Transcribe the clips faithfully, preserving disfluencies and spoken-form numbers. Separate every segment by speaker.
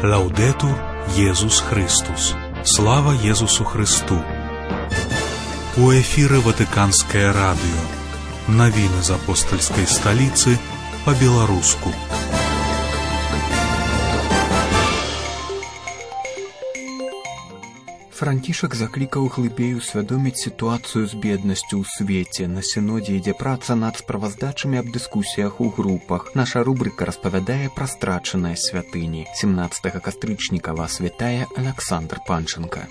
Speaker 1: Лаудетур Єсус Христос. Слава Єсусу Христу. У эфире Ватиканское радио. Новины из апостольской столицы по-белорусски.
Speaker 2: Францішак заклікаў глыбей усвядоміць сітуацыю з беднасцю ў свеце. На сінодзе ідзе праца над справаздачамі аб дыскусіях у групах. Наша рубрика распавядае пра страчаныя святыні. семнадцатага кастрычніка вас вітае Александр Панченко.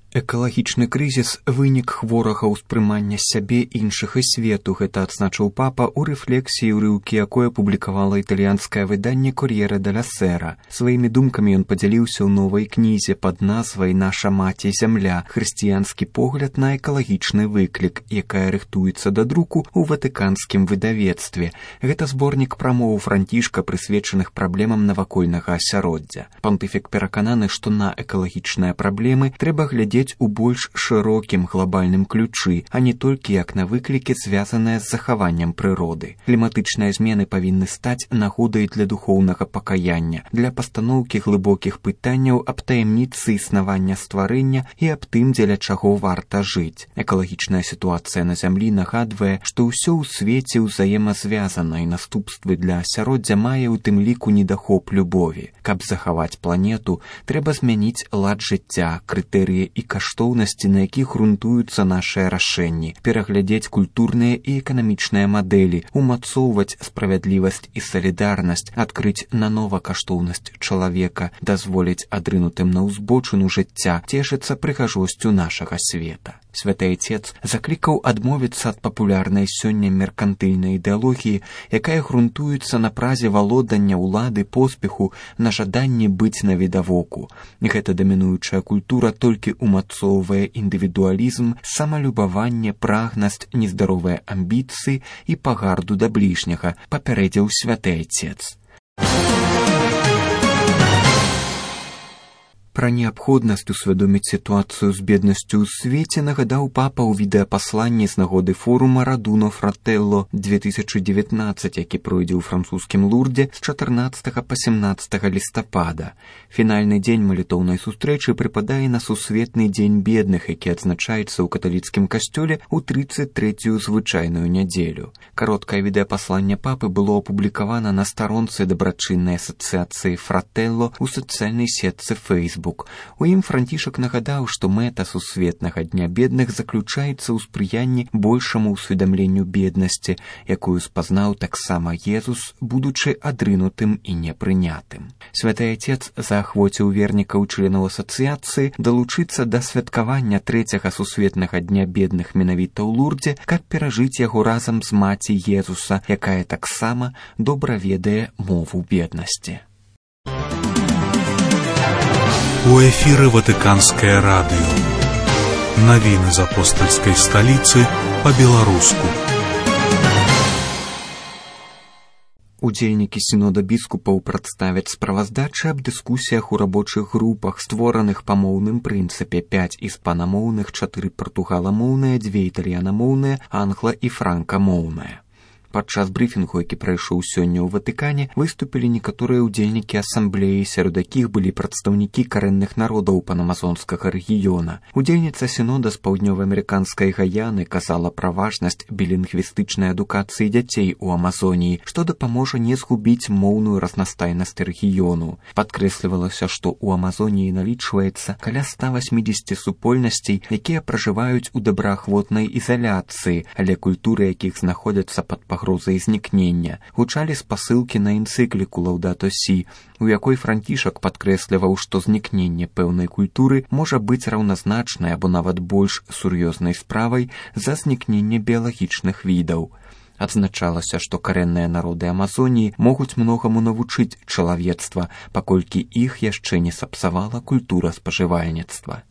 Speaker 2: Экалагічны крызіс – вынік хворага ўспрымання сябе, іншых і свету. Гэта адзначыў папа ў рэфлексіі ўрыўкі, якое публікавала італьянскае выданне «Кор'ере деля Сера». Сваімі думкамі ён падзяліўся ў новай кнізе пад назвай «Наша маці зямля. Хрысціянскі погляд на экалагічны выклік», якая рыхтуецца да друку ў ватыканскім выдавецтве. Гэта зборнік прамоў Францішка, прысвечаных праблемам навакольнага асяроддзя. Пантыфік перакананы, што на экалагічныя праблемы трэба глядзець у больш шырокім глобальным ключы, а не толькі як на выклікі, звязаныя з захаваннем прыроды. Кліматычныя змены павінны стаць нагодай для духоўнага пакаяння, для пастаноўкі глыбокіх пытанняў аб таямніцы існавання стварэння і аб тым, дзеля чаго варта жыць. Экалагічная сітуацыя на зямлі нагадвае, што ўсё ў свеце ўзаемазвязана, і наступствы для асяроддзя мае ў тым ліку недахоп любові. Каб захаваць планету, трэба змяніць лад жыцця, крытэрыі і каштоўнасці, на якіх грунтуюцца нашыя рашэнні, пераглядзець культурныя і эканамічныя мадэлі, умацоўваць справядлівасць і салідарнасць, адкрыць нанова каштоўнасць чалавека, дазволіць адрынутым на ўзбочыну жыцця цешыцца прыгажосцю нашага света. Святы Айцец заклікаў адмовіцца ад папулярнай сёння меркантыльнай ідэалогіі, якая грунтуецца на празе валодання ўлады, поспеху, на жаданні быць навідавоку. Гэта дамінуючая культура толькі умацоўвае індывідуалізм, самалюбаванне, прагнасць, нездаровыя амбіцыі і пагарду да бліжняга, папярэдзіў Святы Айцец. Пра неабходнасць усвядоміць сітуацыю з беднасцю ў свеце нагадаў папа ў відэапасланні з нагоды форума «Радуно Фрателло две тысячи девятнадцать», які пройдзе ў французскім Лурдзе з чатырнаццатага па сямнаццатага лістапада. Фінальны дзень малітоўнай сустрэчы прыпадае на сусветны дзень бедных, які адзначаецца ў каталіцкім касцёле ў трыццаць трэцюю звычайную нядзелю. Кароткае відэапасланне папы было апублікавана на старонцы дабрачыннай асацыяцыі «Фрателло» у сацыяльнай сетцы Facebook. У ім Францішак нагадаў, што мэта сусветнага дня бедных заключаецца ў спрыянні большаму ўсведамленню беднасці, якую спазнаў таксама Езус, будучы адрынутым і непрынятым. Святы Айцец заахвоціў вернікаў членаў асацыяцыі далучыцца да святкавання трэцяга сусветнага дня бедных менавіта ў Лурдзе, каб перажыць яго разам з маці Езуса, якая таксама добра ведае мову беднасці.
Speaker 1: У эфире Ватиканское радио. Новины из апостольской столицы по-белорусски.
Speaker 2: Удзельнікі сінода біскупаў прадставяць справаздачы аб дыскусіях у рабочых групах, створаных па моўным прынцыпе: пяць іспанамоўных, чатыры партугаламоўныя, дзве італьянамоўныя, англа- і франкамоўныя. Падчас брыфінгу, які прайшоў сёння ў Ватыкане, выступілі некаторыя ўдзельнікі асамблеі, сярод якіх былі прадстаўнікі карэнных народаў панамазонскага рэгіёна. Удзельніца сінода з паўднёва-амерыканскай Гаяны казала пра важнасць білінгвістычнай адукацыі дзяцей у Амазоніі, што дапаможа не згубіць моўную разнастайнасць рэгіёну. Падкрэслівалася, што ў Амазоніі налічваецца каля ста васьмідзесяці супольнасцей, якія пражываюць у добраахвотнай ізаляцыі, але культуры якіх знаходзяцца пад пагрозай знікнення. Гучалі спасылкі на энцыкліку «Лаудато Сі», у якой Францішак падкрэсліваў, што знікненне пэўнай культуры можа быць раўназначнай або нават больш сур'ёзнай справай за знікненне біялагічных відаў. Адзначалася, што карэнныя народы Амазоніі могуць многаму навучыць чалавецтва, паколькі іх яшчэ не сапсавала культура спажывальніцтва.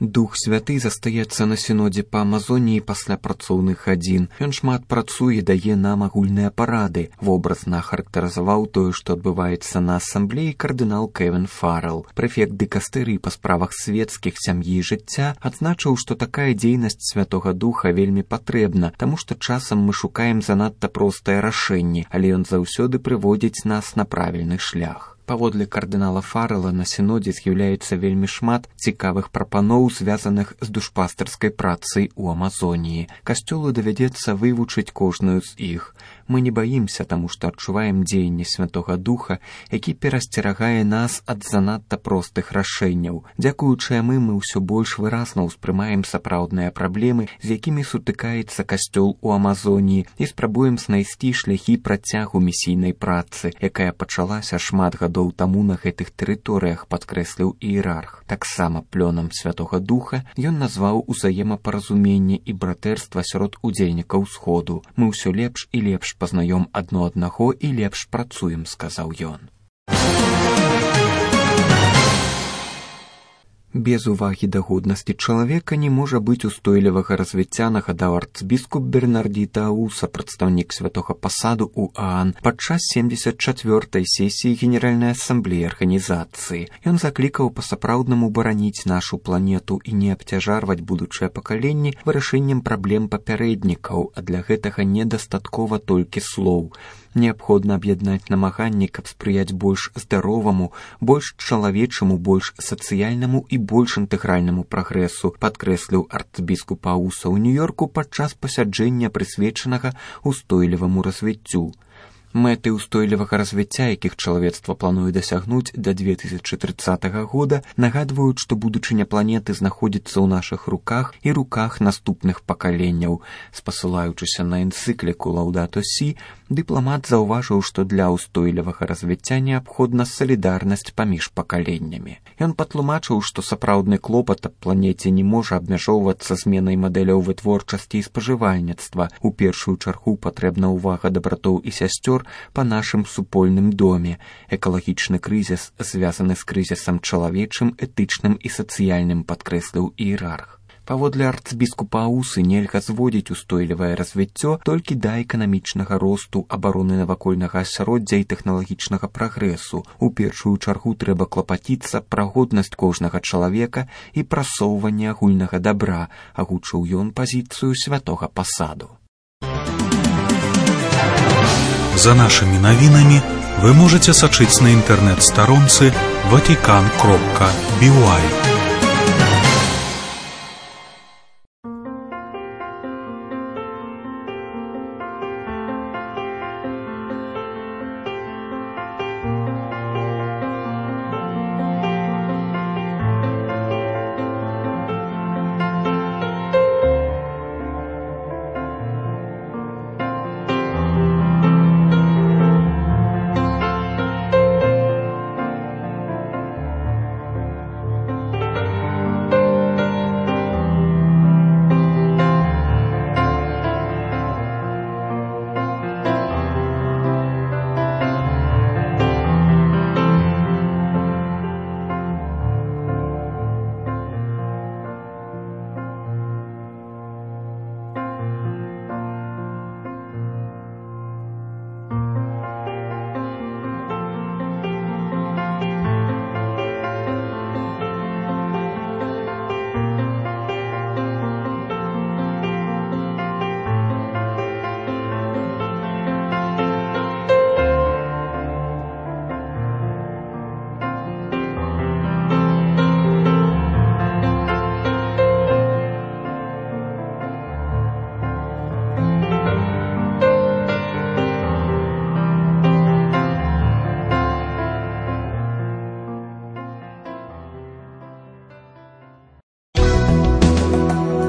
Speaker 2: Дух Святы застаецца на сінодзе па Амазоніі пасля працоўных гадзін. Ён шмат працуе, дае нам агульныя парады. Вобразна характарызаваў тое, што адбываецца на асамблеі кардынал Кевін Фаррелл. Прэфект дыкастэрыі па справах свецкіх, сям'і і жыцця адзначыў, што такая дзейнасць Святога Духа вельмі патрэбна, таму што часам мы шукаем занадта простыя рашэнні, але ён заўсёды прыводзіць нас на правільны шлях. Паводле кардынала Фаррелла на сінодзе з'яўляецца вельмі шмат цікавых прапаноў, звязаных з душпастарскай працай у Амазоніі. Касцёлу давядзецца вывучыць кожную з іх. Мы не баімся, таму што адчуваем дзеянне Святога Духа, які перасцерагае нас ад занадта простых рашэнняў. Дзякуючы яму мы ўсё больш выразна ўспрымаем сапраўдныя праблемы, з якімі сутыкаецца касцёл у Амазоніі, і спрабуем знайсці шляхі працягу місійнай працы, якая пачалася шмат гадоў таму на гэтых тэрыторыях, падкрэсліў іерарх. Таксама плёнам Святога Духа ён назваў узаемапаразуменне і братэрства сярод удзельнікаў сходу. Мы ўсё лепш і лепш пазнаём адно аднаго і лепш працуем, сказаў ён. Без увагі да годнасці чалавека не можа быць устойлівага развіцця, нагадаў арцбіскуп Бернарді Тауса, прадстаўнік святога пасаду ў Аан, падчас семдзесят чацвёртай сесіі Генеральнай асамблеі арганізацыі. Ён заклікаў па-сапраўднаму бараніць нашу планету і не абцяжарваць будучыя пакаленні вырашэннем праблем папярэднікаў, а для гэтага недастаткова толькі слоў. Неабходна аб'яднаць намаганні, каб спрыяць больш здароваму, больш чалавечаму, больш сацыяльнаму і больш інтэгральнаму прагрэсу, падкрэсліў арцбіскуп Ауса ў Нью-Йорку падчас пасяджэння, прысвечанага устойліваму развіццю. Мэты ўстойлівага развіцця, якіх чалавецтва плануе дасягнуць да две тысячы трыццатага года, нагадваюць, што будучыня планеты знаходзіцца ў нашых руках і руках наступных пакаленняў. Спасылаючыся на энцыкліку Лаўдато Сі, дыпламат заўважыў, што для ўстойлівага развіцця неабходна салідарнасць паміж пакаленнямі. Ён патлумачыў, што сапраўдны клопат аб планеце не можа абмяжоўвацца зменай мадэляў вытворчасці і спажывальніцтва. У першую чаргу патрэбна ўвага да братоў і сясцёр па нашым супольным доме. Экалагічны крызіс звязаны з крызісам чалавечым, этычным і сацыяльным, падкрэсліў іерарх. Паводле арцбіскупа Аусы нельга зводзіць устойлівае развіццё толькі да эканамічнага росту, абароны навакольнага асяроддзя і тэхналагічнага прагрэсу. У першую чаргу трэба клапаціцца пра годнасць кожнага чалавека і прасоўванне агульнага дабра, агучыў ён пазіцыю святога пасаду.
Speaker 1: За нашими новинами вы можете сачыць на интернет-сторонце ватикан кропка би уай.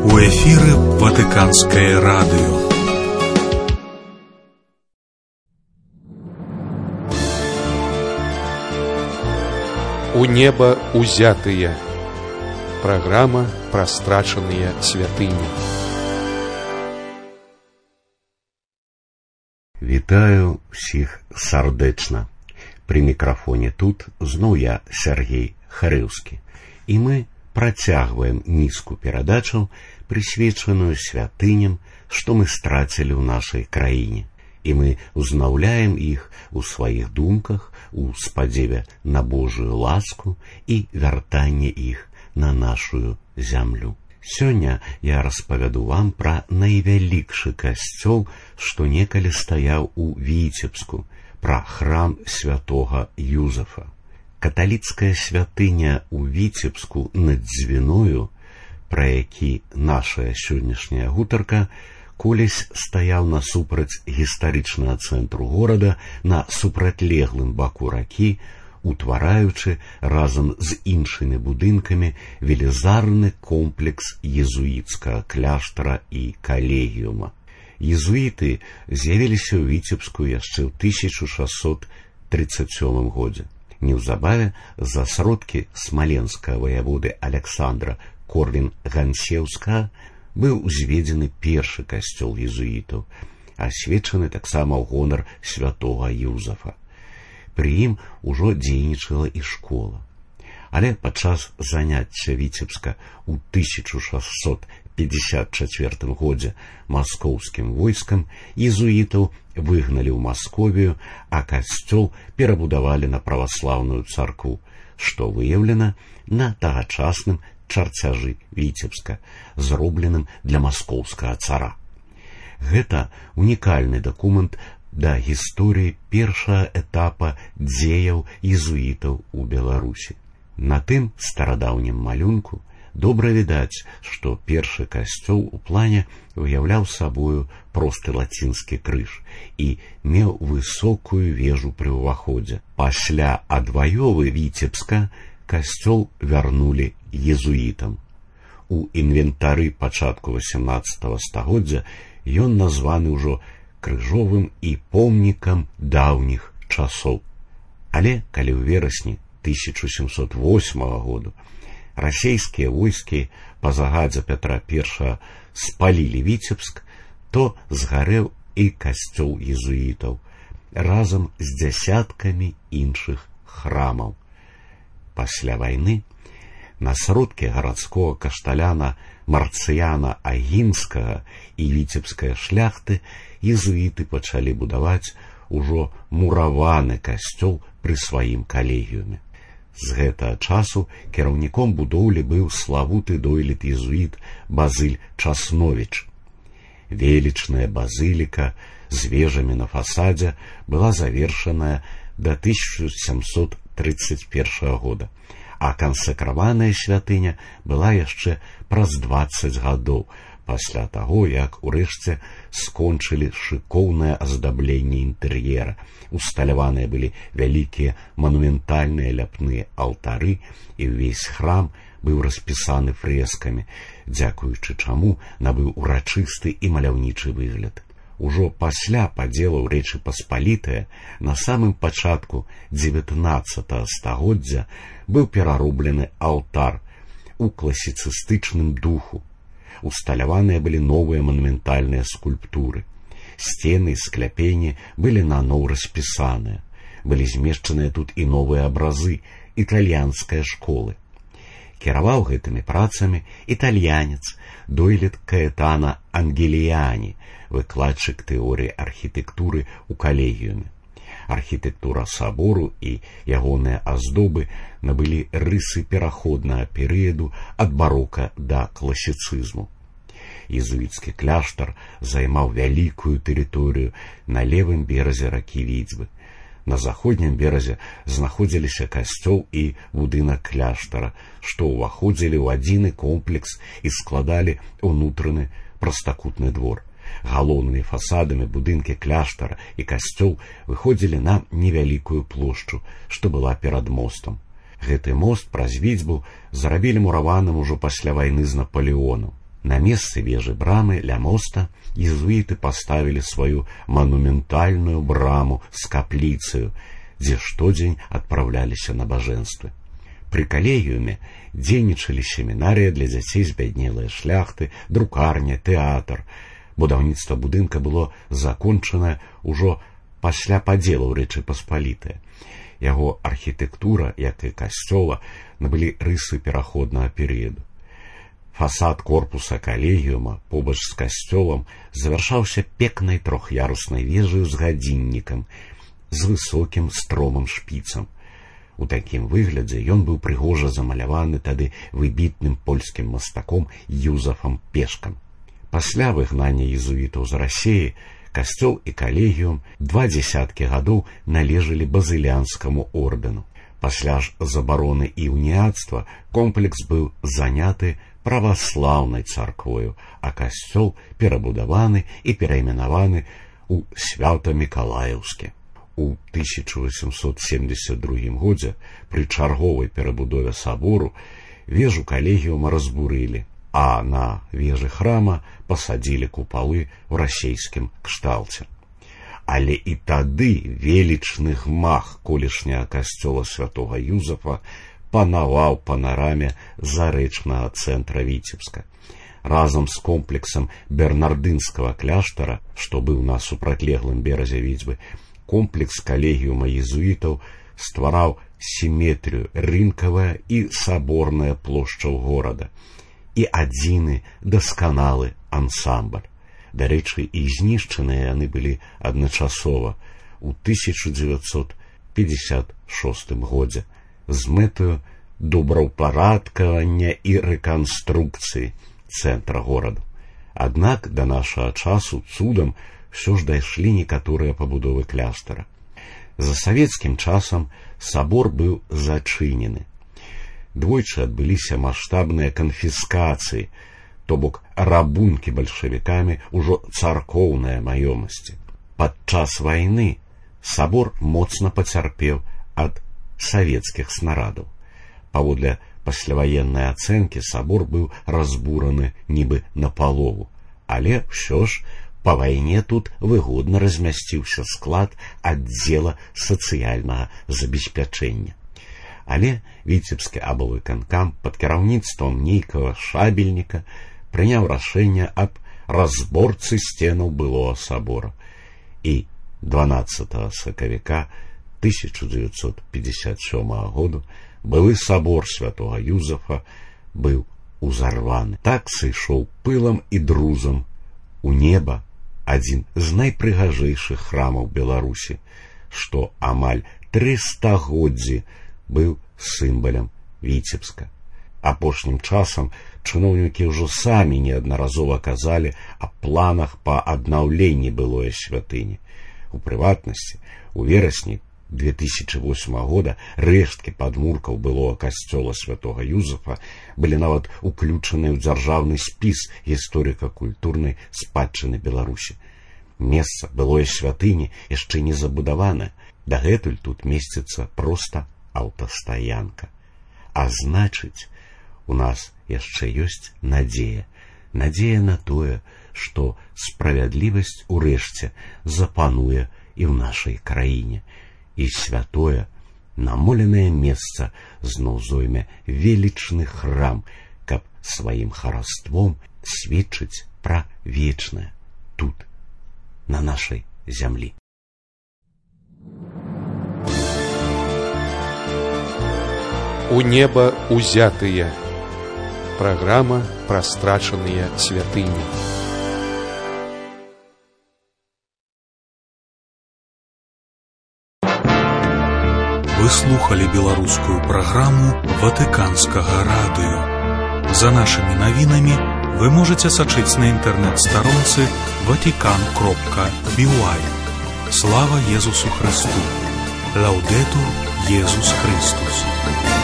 Speaker 1: У эфіры Ватыканскае радыё.
Speaker 3: У неба узятыя. Праграма пра страчаныя святыні.
Speaker 4: Вітаю ўсіх сардэчна. Пры мікрафоне тут зноў я, Сергей Харыўскі. І мы працягваем нізку перадачаў, прысвечаную святыням, што мы страцілі ў нашай краіне. І мы узнаўляем іх у сваіх думках, у спадзеве на Божую ласку і вяртанне іх на нашу зямлю. Сёння я распавяду вам пра найвялікшы касцёл, што некалі стаяў у Віцебску, пра храм святога Юзафа. Каталіцкая святыня ў Віцебску над Дзвіною, пра які наша сённяшняя гутарка, колись стаяў насупраць гістарычнага цэнтру горада на супрацьлеглым баку ракі, утвараючы разам з іншымі будынкамі велізарны комплекс езуіцкага кляштара і калегіума. Езуіты з'явіліся ў Віцебску яшчэ ў тысяча шэсцьсот трыццаць сёмым годзе. Неўзабаве за сродкі смаленскага ваяводы Аляксандра Корвін-Ганцеўскага быў узведзены першы касцёл езуітаў, асвечаны таксама ў гонар святога Юзафа. Пры ім ужо дзейнічала і школа. Але падчас заняцця Віцебска ў тысяча шэсцьсот пятьдесят чацвёртым годзе маскоўскім войскам езуітаў выгналі ў Масковію, а касцёл перабудавалі на праваслаўную царкву, што выяўлена на тагачасным чарцяжы Віцебска, зробленым для маскоўскага цара. Гэта унікальны дакумент да гісторыі першага этапа дзеяў езуітаў у Беларусі. На тым старадаўнім малюнку добра відаць, што першы касцёл у плане уяўляў сабою просты лацінскі крыж і меў высокую вежу пры ўваходзе. Пасля адваёвы Віцебска касцёл вярнулі езуітам. У інвентары пачатку васямнаццатага стагоддзя ён названы ўжо крыжовым і помнікам даўніх часоў. Але калі ў верасні тысяча сямсот восьмага году расейскія войскі па загадзе Пятра Першага спалілі Віцебск, то згарэў і касцёл езуітаў разам з дзясяткамі іншых храмаў. Пасля вайны на сродкі гарадскога кашталяна Марцыяна Агінскага і віцебскай шляхты езуіты пачалі будаваць ужо мураваны касцёл пры сваім калегіуме. З гэтага часу кіраўніком будоўлі быў славуты дойлід езуіт Базыль Часновіч. Велічная базыліка з вежамі на фасадзе была завершаная да тысяча сямсот трыццаць першага года, а кансакраваная святыня была яшчэ праз дваццаць гадоў пасля таго, як урэшце скончылі шыкоўнае аздабленне інтэр'ера. Усталяваныя былі вялікія манументальныя ляпныя алтары, і ўвесь храм быў распісаны фрэскамі, дзякуючы чаму набыў урачысты і маляўнічы выгляд. Ужо пасля падзелаў Рэчы Паспалітае на самым пачатку дзевятнаццатага стагоддзя быў перароблены алтар у класіцыстычным духу. Усталяваныя былі новыя манументальныя скульптуры. Сцены і скляпені былі наноў распісаныя. Былі змешчаныя тут і новыя абразы італьянскай школы. Кіраваў гэтымі працамі італьянец, дойлід Каэтана Ангеліяні, выкладчык тэорыі архітэктуры ў калегіуме. Архітэктура сабору і ягоныя аздобы набылі рысы пераходнага перыяду ад барока да класіцызму. Езуіцкі кляштар займаў вялікую тэрыторыю на левым беразе ракі Віцьбы. На заходнім беразе знаходзіліся касцёл і будынак кляштара, што ўваходзілі ў адзіны комплекс і складалі ўнутраны прастакутны двор. Галоўнымі фасадамі будынкі кляштара і касцёл выходзілі на невялікую плошчу, што была перад мостам. Гэты мост праз Віцьбу зрабілі мураваным ужо пасля вайны з Напалеонам. На месцы вежы брамы ля моста езуіты паставілі сваю манументальную браму з капліцаю, дзе штодзень адпраўляліся набажэнствы. Пры калегіуме дзейнічалі семінарыя для дзяцей збяднелай шляхты, друкарня, тэатр. Будаўніцтва будынка было закончанае ўжо пасля падзелаў Рэчы Паспалітае. Яго архітэктура, як і касцёла, набылі рысы пераходнага перыяду. Фасад корпуса калегіума побач з касцёлам завяршаўся пекнай трох'яруснай вежаю з гадзіннікам, з высокім стромым шпіцам. У такім выглядзе ён быў прыгожа замаляваны тады выбітным польскім мастаком Юзафам Пешкам. Пасля выгнання езуітаў з Расіі касцёл і калегіум два дзесяткі гадоў належалі базылянскаму ордэну. Пасля ж забароны і уніяцтва комплекс быў заняты праваслаўнай царквою, а касцёл перабудаваны і перайменаваны ў Свята-Мікалаеўскі. У тысяча восемьсот семьдесят другім годзе пры чарговай перабудове сабору вежу калегіума разбурылі, а на вежы храма пасадзілі купалы ў расейскім кшталце. Але і тады велічны гмах колішняга касцёла святога Юзафа панаваў панараме зарэчнага цэнтра Віцебска. Разам з комплексам бернардынскага кляштара, што быў на супрацьлеглым беразе Віцьбы, комплекс калегіума езуітаў ствараў сіметрыю рынкавая і саборная плошчаў горада і адзіны дасканалы ансамбль. Дарэчы, і знішчаныя яны былі адначасова ў тысяча дзевяцьсот пятьдесят шостым годзе з мэтаю добраўпарадкавання і рэканструкцыі цэнтра гораду. Аднак да нашага часу цудам ўсё ж дайшлі некаторыя пабудовы кляштара. За савецкім часам сабор быў зачынены. Двойчы адбыліся маштабныя канфіскацыі, то бок рабункі бальшавікамі ўжо царкоўныя маёмасці. Падчас вайны сабор моцна пацярпеў ад савецкіх снарадаў. Паводле пасляваеннай ацэнкі сабор быў разбураны нібы напалову, але ўсё ж па вайне тут выгодна размясціўся склад аддзела сацыяльнага забеспячэння. Але Віцебскі аблвыканкам пад кіраўніцтвам нейкага шабельніка прыняў рашэнне аб разборцы сценаў былога сабора, і дванаццатага сакавіка тысяча дзевяцьсот пятьдесят сёмага году былы сабор святога Юзафа быў узарваны. Так сышоў пылам і друзам у неба адзін з найпрыгажэйшых храмаў Беларусі, што амаль тры стагоддзі быў сімвалам Віцебска. Апошнім часам чыноўнікі ўжо самі неаднаразова казалі аб планах па аднаўленні былой святыні. У прыватнасці, у верасні две тысячи восьмага года рэшткі падмуркаў былога касцёла святога Юзафа былі нават уключаныя ў дзяржаўны спіс гісторыка-культурнай спадчыны Беларусі. Месца былой святыні яшчэ не забудаванае, дагэтуль тут месціцца проста аўтастаянка. А значыць, у нас яшчэ ёсць надзея. Надзея на тое, што справядлівасць урэшце запануе і ў нашай краіне, і святое, намоленае месца зноў зойме велічны храм, каб сваім хараством сведчыць пра вечнае тут, на нашай зямлі.
Speaker 3: У неба узятыя. Праграма пра страчаныя святыні.
Speaker 1: Вы слухали беларускую праграму Ватыканскага радыё. За нашымі навінамі вы можаце сачыць на інтэрнэт-старонцы ватикан кропка би уай. Слава Езусу Христу! Лаўдэтур Езус Христус!